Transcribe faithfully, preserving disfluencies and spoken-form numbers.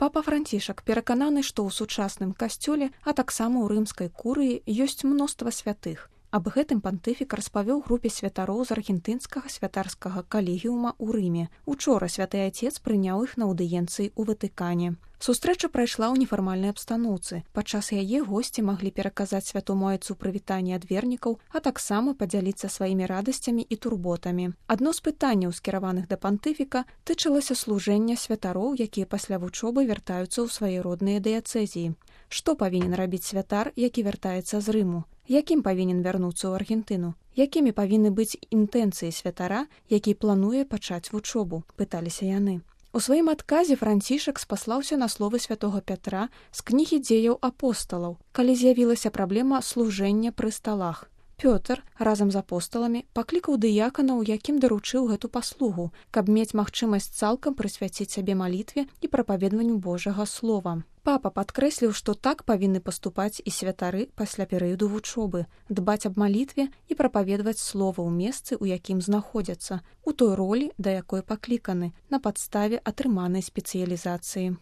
Папа Францішак перакананы, што ў сучасным касцёле, а таксама ў рымскай курыі ёсць мноства святых. Аб гэтым пантыфік распавёў групе святароў з аргентынскага святарскага калегіума ў Рыме. Учора святы Ацец прыняў іх на аўдыенцыі ў Ватыкане. Сустрэча прайшла ў нефармальнай абстаноўцы. Падчас яе госці маглі пераказаць святому айцу прывітанне ад вернікаў, а таксама падзяліцца сваімі радасцямі і турботамі. Адно з пытанняў, скіраваных да пантыфіка, тычылася служэння святароў, якія пасля вучобы вяртаюцца ў свае родныя дыяцэзіі. Што павінен рабіць святар, які вяртаецца з Рыму? Якім павінен вярнуцца ў Аргентыну? Якімі павінны быць інтэнцыі святара, які плануе пачаць вучобу? Пыталіся яны. У сваім адказе Францішак спаслаўся на словы святога Пятра з кнігі дзеяў апосталаў, калі з'явілася праблема служэння пры сталах. Пётр разам з апосталамі паклікаў дыяканаў, якім даручыў гэту паслугу, каб мець магчымасць цалкам прысвяціць сябе малітве і прапаведванню Божага слова. Папа падкрэсліў, што так павінны паступаць і святары пасля перыяду вучобы, дбаць аб малітве і прапаведваць слова ў месцы, у якім знаходзяцца, у той ролі, да якой пакліканы, на падставе атрыманай спецыялізацыі.